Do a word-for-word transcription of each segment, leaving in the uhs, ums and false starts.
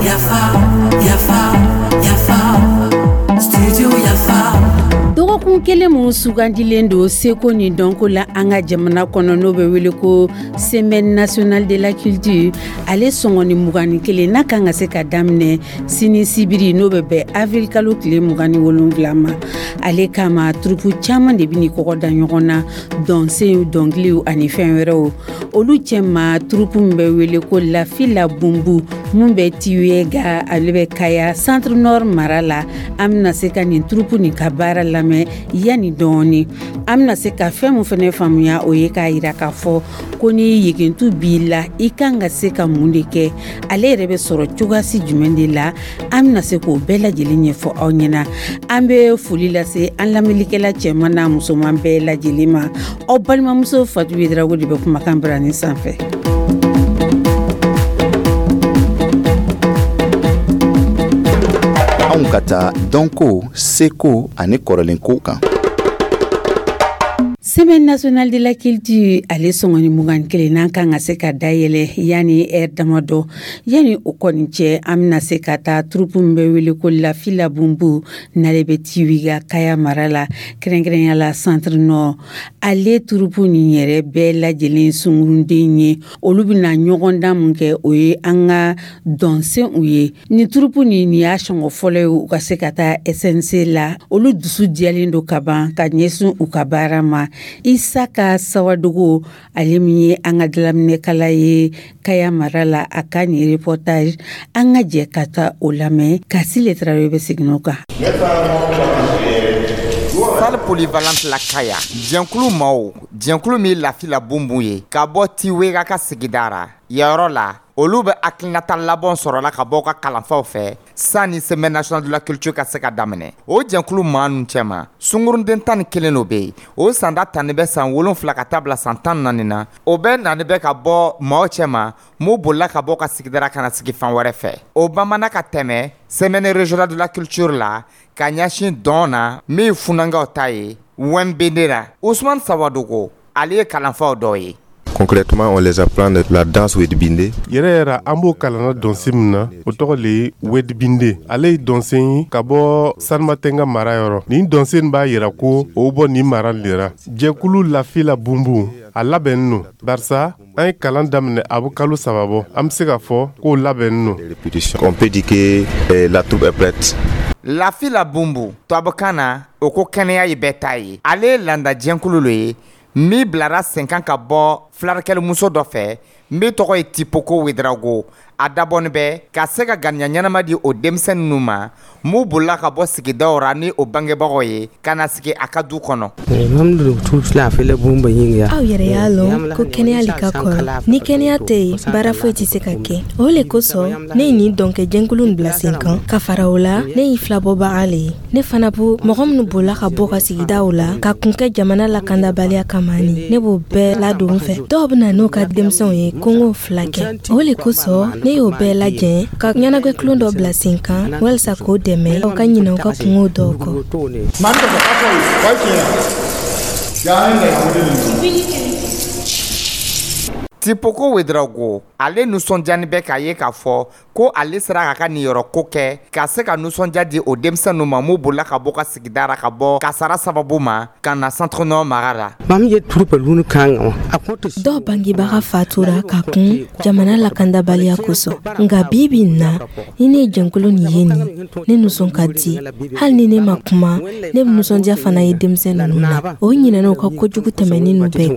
Yafa, yafa, yafa, studio Yafa. Dɔgɔkun kelen mun sugandilen don seko ni dɔnko la an ka jamana kɔnɔ, n'o bɛ wele ko Semaine nationale de la culture, ale sɔngɔni mugan ni kelen n'a kan ka se ka daminɛ sini sibiri, n'o bɛ bɛn avril kalo tile mugan ni wolonwula ma, ale kama troupe caman de bɛ ni kɔgɔ da ɲɔgɔn na, dɔnsenw, dɔnkiliw ani fɛn wɛrɛw. Olu cɛma, troupe min bɛ wele ko Lafila Bunbu, mun bɛ Tiwega, ale bɛ Kaya Centre Nord mara la. An bɛna se ka nin troupe nin ka baara lamɛn yanni dɔɔni. An bɛna se ka fɛn mun fɛnɛ faamuya, o ye k'a yira k'a fɔ ko ni yegentu b'i la, i kan ka se ka mun de kɛ, ale yɛrɛ bɛ sɔrɔ cogoyasi jumɛn de la. An bɛna se k'o bɛɛ lajɛlen ɲɛfɔ aw ɲɛna. An bɛ foli lase an lamɛnnikɛla cɛman n'a musoman bɛɛ lajɛlen ma. Aw balimamuso Fatu Yedrago de bɛ kumakan birani sanfɛ. Anw ka taa dɔnko, seko ani kɔrɔlenkow kan. Semaine nationale de la culture, ale sɔngɔni mugan kelen n'an kan ka se ka dayɛlɛ yanni ɛri damadɔ. Yanni o kɔni cɛ, an bɛna se ka taa troupe min bɛ wele ko Lafila Bunbu, n'ale bɛ Tiwiga Kaya mara la, kɛrɛnkɛrɛnya la Centre Nord. Ale troupe nin yɛrɛ bɛɛ lajɛlen sunkurunden ye. Olu bɛna ɲɔgɔndan mun kɛ, o ye an ka dɔnsenw ye. Nin troupe nin, nin y'a sɔngɔ fɔlɔ ye u ka se ka taa S N C la. Olu dusu diyalen don ka ban ka ɲɛsin u ka baara ma. Isaka Sawadogo, ale min ye an ka dalaminɛkala ye Kaya mara la, a ka nin reportage, an ka jɛ ka taa o lamɛn. Kasile Tarawele bɛ segin o kan. Salle polyvalente la Kaya, jɛnkulu maaw, jɛnkulu min Lafila Bunbun ye ka bɔ Tiwega ka sigida ra yɔrɔ la, olu bɛ hakilinata labɔn sɔrɔla ka bɔ ka kalanfaw fɛ sanni Semaine nationale de la culture ka se ka daminɛ. O jɛnkulu maa ninnu cɛma, sunkurunden tan ni kelen do bɛ yen, o sanda tanni bɛ san wolonfila ka taa bila san tan naani na. O bɛɛ nani bɛ ka bɔ maaw cɛma mun bolila ka bɔ ka sigidara ka na sigi fan wɛrɛ fɛ. O bamana ka tɛmɛ Semaine régionale de la culture la ka ɲɛsin dɔn na min ye funankɛw ta ye Wɛnbende la. Usman Sawadogo, ale ye kalanfaw dɔ ye. Concrètement, on les apprend la danse Wedibinde. Yɛrɛ yɛrɛ, an b'o kalanna dɔnsen min na, o tɔgɔ le ye Wedibinde. Ale ye dɔnsen ye ka bɔ Sanmatenga mara yɔrɔ. Nin dɔnsen b'a yira ko o bɔ nin mara le ra. Jɛkulu Lafila Bunbun, a labɛnnen no, barisa an ye kalan daminɛ a bɛ kalo saba bɔ. An bɛ se k'a fɔ k'o labɛnnen no. On peut dire que eh, la troupe est prête. Lafila Bunbu, tubabukan na o ko kɛnɛya ye bɛɛ ta ye. Ale ye landa jɛnkulu lo ye min bilara sen kan ka bɔ filarikɛlimuso dɔ fɛ min tɔgɔ ye Tipoko Wedrago. A dabɔni bɛ ka se ka ganiya ɲɛnama di o denmisɛn ninnu ma m'u bolila ka bɔ sigidaw ra ni o bangebagaw ye ka na sigi a ka du kɔnɔ. Aw yɛrɛ y'a lɔn ko kɛnɛya le ka kɔrɔ. Ni kɛnɛya tɛ yen, baara foyi tɛ se ka kɛ. O le kosɔn ne ye nin dɔnkɛjɛnkulu nin bila sen kan. Ka fara o la, ne y'i filabɔbaga le ye. Ne fana bo mɔgɔ minnu bolila ka bɔ ka sigidaw la ka kun kɛ jamana lakandabaliya kama, ni ne b'o bɛɛ ladon fɛ. Dɔw bɛna n'u ka denmisɛnw ye ko n k'o fila kɛ. O le kosɔn ne y'o bɛɛ lajɛ ka ɲɛnagwɛkulon dɔ bila sen kan walisa k'o dɛmɛ aw ka ɲinɛ u ka kungow dɔw kɔ. Tipoko Wedrago, ale nisɔndiyani bɛ k'a ye k'a fɔ ko ale sera k'a ka niyɔrɔko kɛ ka se ka nisɔndiya di o denmisɛn ma mun bolila ka bɔ ka sigida ra ka bɔ kasara sababu ma ka na Centre Nord mara la. Dɔw bangebaga fatura ka kun jamana lakandabaliya kosɔn. Nka bi bi in na, ni ne ye jɛnkulu nin ye nin, ne nisɔn ka di. Hali ni ne ma kuma, ne bɛ nisɔndiya fana ye denmisɛn ninnu na. O ɲinɛna u ka kojugu tɛmɛnen ninnu bɛɛ.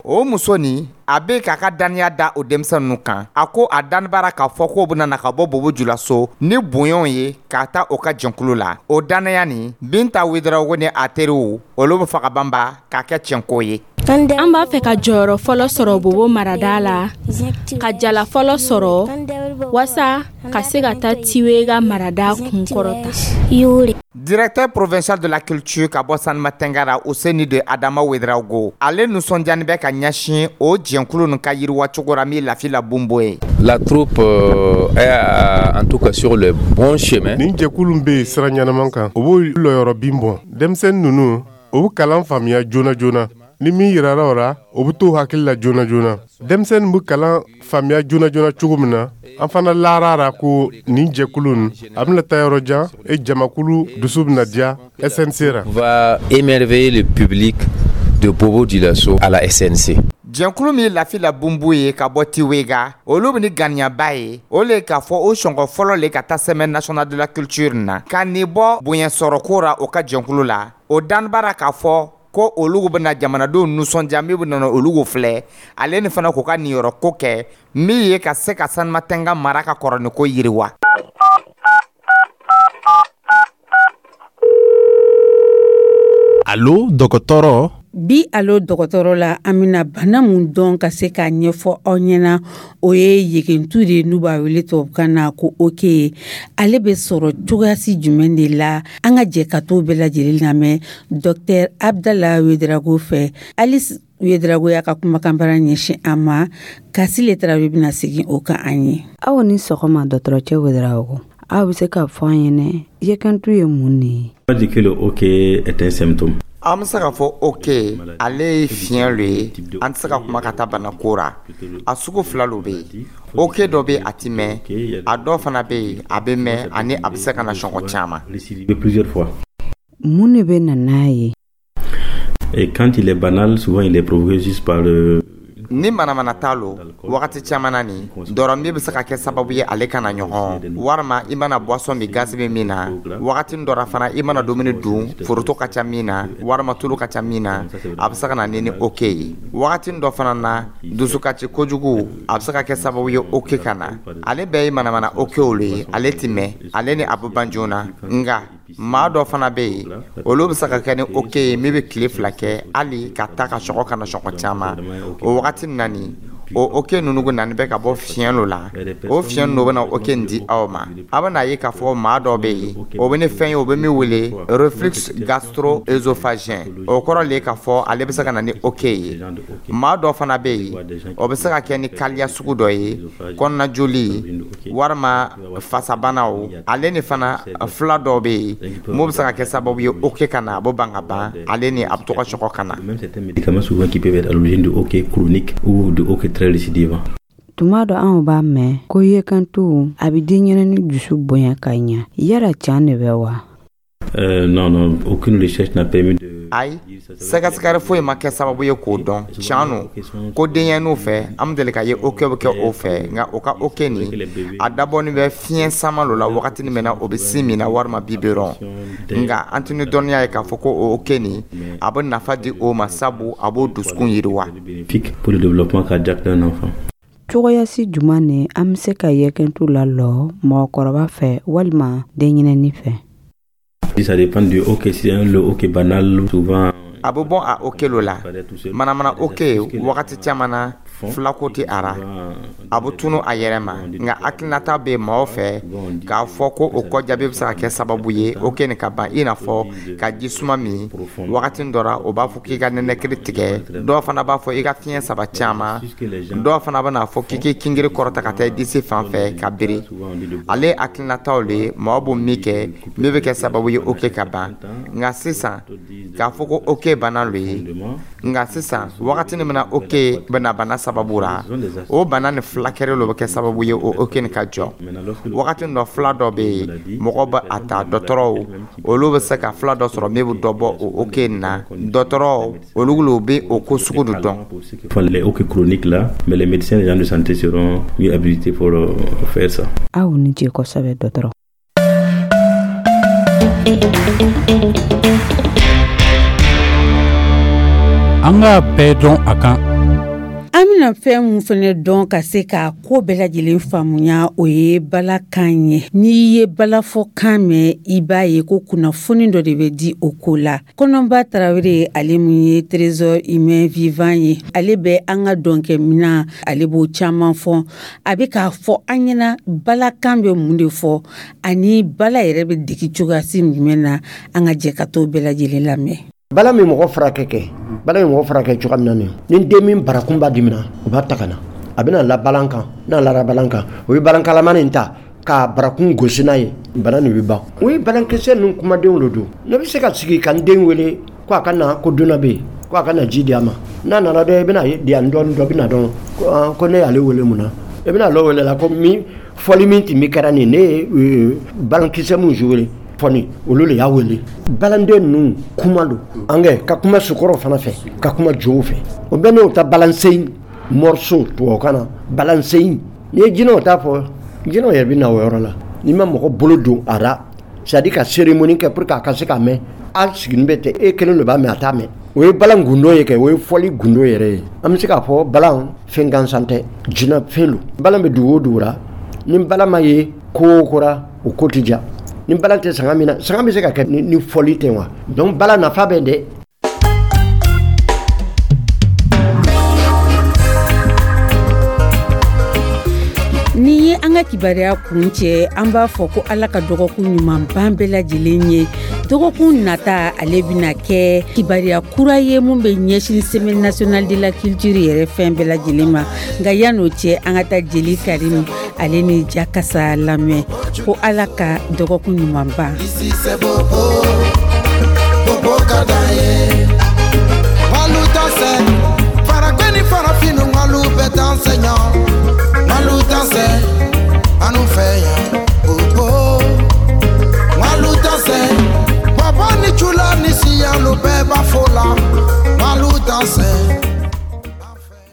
O muso nin, a bɛ k'a ka daniya da o denmisɛn ninnu kan. A ko a danibara k'a fɔ k'o bɛna na ka bɔ Bobo Julaso ni bonyaw ye k'a ta o ka jɛnkulu la. O danaya nin, Binta Wedrago ni a teriw, olu bɛ fɛ ka banba k'a kɛ tiɲɛko ye. An b'a fɛ ka jɔyɔrɔ fɔlɔ sɔrɔ Bobo marada la, ka jala fɔlɔ sɔrɔ waasa ka se ka taa Tiwega marada kunkɔrɔta. Directeur provincial de la culture ka bɔ Sanmatenga, Useni de Adama Wedrago, ale nisɔndiyani bɛ ka ɲɛsin o jɛnkulu nin ka yiriwa cogo la min Lafila Bunbo ye. La troupe euh, est en tout cas sur le bon chemin. Nin jɛkulu bɛ yen sira ɲɛnaman kan, o b'o lɔyɔrɔ bin bɔ. Denmisɛnnin ninnu, o bɛ kalan faamuya joona joona. Ni min yirara o ra, o bɛ t'o hakili la joona joona. Denmisɛnnin bɛ kalan faamuya joona joona cogo min na, an fana lara ra ko nin jɛkulu nin, a bɛna taa yɔrɔ jan e jamakulu dusu bɛna diya S N C ra. Va émerveiller le public de Bobo Dioulasso à la S N C. Jɛnkulu min lafi la bunbu ye ka bɔ Tiwega, olu bɛ ni ganiyaba ye o le k'a fɔ o sɔngɔ fɔlɔ le ka taa Semaine nationale de la culture na ka nin bɔ bonya sɔrɔko ra o ka jɛnkulu la. O danibara k'a fɔ ko olu bɛna jamanadenw nisɔndiya min bɛ nana olu filɛ, ale ni fana k'u ka niyɔrɔ ko kɛ min ye ka se ka Sanumatɛnga mara ka kɔrɔniko yiriwa. Alo dɔgɔtɔrɔ. Bi Alo dɔgɔtɔrɔ la, an bɛna bana mun dɔn ka se k'a ɲɛfɔ aw ɲɛna, o ye yegentu de, n'u b'a wele tubabukan na ko hoquet. Ale bɛ sɔrɔ cogoyasi jumɛn de la? An ka jɛ ka t'o bɛɛ lajɛlen lamɛn Docteur Abdala Ouédraogo fɛ. Alice Ouédraogo y'a ka kumakanbara ɲɛsin an ma. Kasile Tarawele bɛna segin o kan an ye. Aw ni sɔgɔma, dɔgɔtɔrɔcɛ Ouédraogo. Aw bɛ se k'a fɔ an ɲɛnɛ, yekentu ye mun de ye? On dit que le hoquet est un symptôme. An bɛ se k'a fɔ hoquet, ale ye fiɲɛ lo ye. An tɛ se ka kuma ka taa bana ko ra. A sugu fila lo bɛ yen. Hoquet dɔ bɛ yen, a ti mɛn. A dɔw fana bɛ yen, a bɛ mɛn ani a bɛ se ka na sɔngɔ caman. Plusieurs fois. Mun de bɛ na n'a ye? Et quand il est banal, souvent il est provoqué juste par le Ni manamana t'a lo, wagati caman na nin dɔrɔn min bɛ se ka kɛ sababu ye ale kana ɲɔgɔn, walima i mana boisson min, gazi bɛ min na. Wagati dɔ la fana, i mana dumuni dun, foronto ka ca min na walima tulu ka ca min na, a bɛ se ka na ni ni hoquet ye. Wagati dɔ fana na, dusukasi kojugu, a bɛ se ka kɛ sababu ye hoquet ka na. Ale bɛɛ ye manamana hoquet olu ye, ale ti mɛn, ale ni a bɛ ban joona. Nka maa dɔ fana bɛ yen, olu bɛ se ka kɛ ni hoquet ye min bɛ tile fila kɛ, hali ka taa ka sɔgɔ ka na sɔgɔ caman. O wagati na nin, o hoquet ninnu nani bɛ ka bɔ fiɲɛ dɔ la. O fiɲɛ ninnu bɛna hoquet nin di aw ma. A bɛna ye k'a fɔ maa dɔ bɛ yen, o bɛ ni fɛn ye, o bɛ min wele reflux gastro-œsophagien. O kɔrɔ le k'a fɔ ale bɛ se ka na ni hoquet ye. Maa dɔ fana bɛ yen, o bɛ se ka kɛ ni kaliya sugu dɔ ye, kɔnɔnajoli walima fasabanaw. Ale ni fana fila dɔw bɛ yen mun bɛ se ka kɛ sababu ye hoquet ka na, a bɛ ban ka ban, ale ni a bɛ to ka sɔgɔ ka na. Même certains médicaments souvent qui peuvent être à l'origine de hoquet chronique ou de hoquet très récidivant. Tuma dɔ anw b'a mɛn ko yekentu a bɛ denɲɛrɛnin dusu bonya ka ɲa. Yala can de bɛ wa? Euh, non, non, aucune recherche n'a permis de Ayi, sɛgɛsɛgɛli foyi ma kɛ sababu ye k'o dɔn. Tiɲɛ no ko denyɛrɛninw fɛ, an bɛ deli ka ye hoquet bɛ kɛ o fɛ. Nka o ka hoquet nin, a dabɔnin bɛ fiɲɛ sama lo la wagati min na o bɛ sin min na walima biberon. Nka an tɛ ni dɔnniya ye k'a fɔ ko o hoquet nin, a bɛ nafa di o ma, sabu a b'o dusukun yiriwa. Bénéfique pour le développement cardiaque d'un enfant. Cogoyasi juman ne an bɛ se ka yekentu lalɔ mɔgɔkɔrɔba fɛ walima denɲɛrɛnin fɛ? Ça dépend du hoquet. Si c'est le hoquet banal, souvent A bɛ bɔ a hoquet lo la. Manamana hoquet, wagati caman na, filako tɛ a ra, a bɛ tunu a yɛrɛ ma. Nka hakilinata bɛ maaw fɛ k'a fɔ ko o kɔjaabi bɛ se ka kɛ sababu ye hoquet nin ka ban, i n'a fɔ ka ji suma min. Wagati dɔ la, o b'a fɔ k'i ka nɛnɛkiri tigɛ. Dɔw fana b'a fɔ i ka fiɲɛ saba caman. Dɔw fana bɛna fɔ k'i k'i kingiri kɔrɔta ka taa i disi fan fɛ ka biri. Ale hakilinataw le ye maaw b'o min kɛ min bɛ kɛ sababu ye hoquet ka ban. Nka sisan k'a fɔ ko hoquet bana lo ye, nka sisan wagati min na hoquet bɛna bana sababu ra, o bana ni fulakɛli lo bɛ kɛ sababu ye o hoquet nin ka jɔ. Wagati dɔ, fila dɔ bɛ yen, mɔgɔ bɛ a ta, dɔgɔtɔrɔw olu bɛ se ka fila dɔ sɔrɔ min bɛ dɔ bɔ o hoquet nin na. Dɔgɔtɔrɔw olu lo bɛ o ko sugu de dɔn. Les hoquets chroniques là, mais les médecins, les gens de santé seront mieux habilités pour euh, faire ça. Aw ni ce kosɛbɛ, dɔgɔtɔrɔ. An k'a bɛɛ dɔn a kan. An bɛna fɛn mun fɛnɛ dɔn ka se ka ko bɛɛ lajɛlen faamuya, o ye balakan ye. N'i ye balafɔkan mɛn, i b'a ye ko kunnafoni dɔ de bɛ di o ko la. Kɔnɔba Tarawele, ale mun ye Trésor humain vivant ye, ale bɛ an ka dɔnkɛminan, ale b'o caman fɔ. A bɛ k'a fɔ an ɲɛna balakan bɛ mun de fɔ ani bala yɛrɛ bɛ degi cogoyasi jumɛn na. An ka jɛ ka t'o bɛɛ lajɛlen lamɛn. Bala min mɔgɔ furakɛ kɛ, bala min mɔgɔ furakɛ cogoya min na nin, ni den min barakun b'a dimina, u b'a ta ka na, a bɛna la balan kan. N'a lara balan kan, o ye balankalama nin ta ka barakun gosi n'a ye, bana nin bɛ ban. O ye balankisɛ ninnu kumadenw de don. Ne bɛ se ka sigi ka n den wele ko a ka na ko dunan bɛ yen. Ko a ka na ji di a ma. N'a nana dɔn, i bɛna di yan dɔɔni, dɔ bɛna dɔn ko ne y'ale wele mun na. I bɛna lɔ wele la ko min fɔli min tun bɛ kɛra nin ne ye balankisɛ min joué fɔni, olu de y'a wele. Balanden ninnu kuma don an kɛ ka kuma sokɔrɔ fana fɛ, ka kuma jow fɛ. O bɛɛ n'o ta balansen morceau, tubabukan na balansen. N'i ye jinɛw ta fɔ, jinɛw yɛrɛ bɛ na o yɔrɔ la. N'i ma mɔgɔ bolo don a la, c'est à dire ka cérémonie kɛ pour que a ka se ka mɛn, a sigilen bɛ ten, e kelen de b'a mɛn, a t'a mɛn. O ye balan gundo ye kɛ, o ye fɔli gundo yɛrɛ ye. An bɛ se k'a fɔ balan fɛn gansan tɛ, jinɛ fɛn don. Balan bɛ dugu o dugu la, ni balan ma ye ko o ko la, o ko tɛ diya. Ni balan tɛ sanga min na, sanga bɛ se ka kɛ ni fɔli tɛ wa? Donc balan nafa bɛ dɛ. Ni ye an ka kibaruya kun cɛ, an b'a fɔ ko Ala ka dɔgɔkun ɲuman ban bɛɛ lajɛlen ye. Dɔgɔkun nata, ale bɛna kɛ kibaruya kura ye mun bɛ ɲɛsin Semaine nationale de la culture yɛrɛ fɛn bɛɛ lajɛlen ma. Nka yan'o cɛ, an ka taa jeli Karimu ale ni Jakasa lamɛn ko Ala ka dɔgɔkun ɲuman ban. Bobo ka d'an ye.